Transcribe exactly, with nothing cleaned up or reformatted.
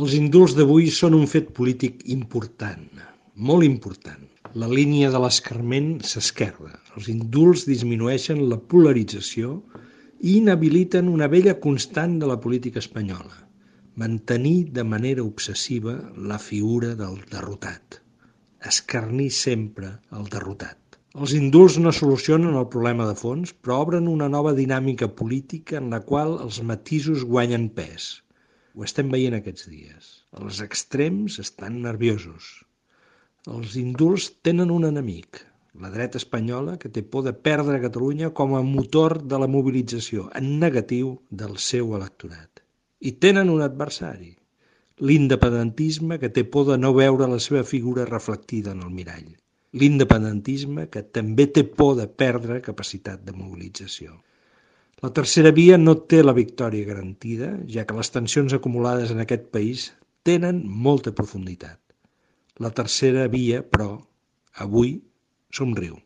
Els indults d'avui són un fet polític important, molt important. La línia de l'escarment s'esquerda. Els indults disminueixen la polarització i inhabiliten una vella constant de la política espanyola: mantenir de manera obsessiva la figura del derrotat. Escarnir sempre el derrotat. Els indults no solucionen el problema de fons, però obren una nova dinàmica política en la qual els matisos guanyen pes. Ho estem veient aquests dies. Els extrems estan nerviosos. Els indults tenen un enemic, la dreta espanyola, que té por de perdre Catalunya com a motor de la mobilització en negatiu del seu electorat. I tenen un adversari, l'independentisme, que té por de no veure la seva figura reflectida en el mirall. L'independentisme que també té por de perdre capacitat de mobilització. La tercera via no té la victòria garantida, ja que les tensions acumulades en aquest país tenen molta profunditat. La tercera via, però, avui somriu.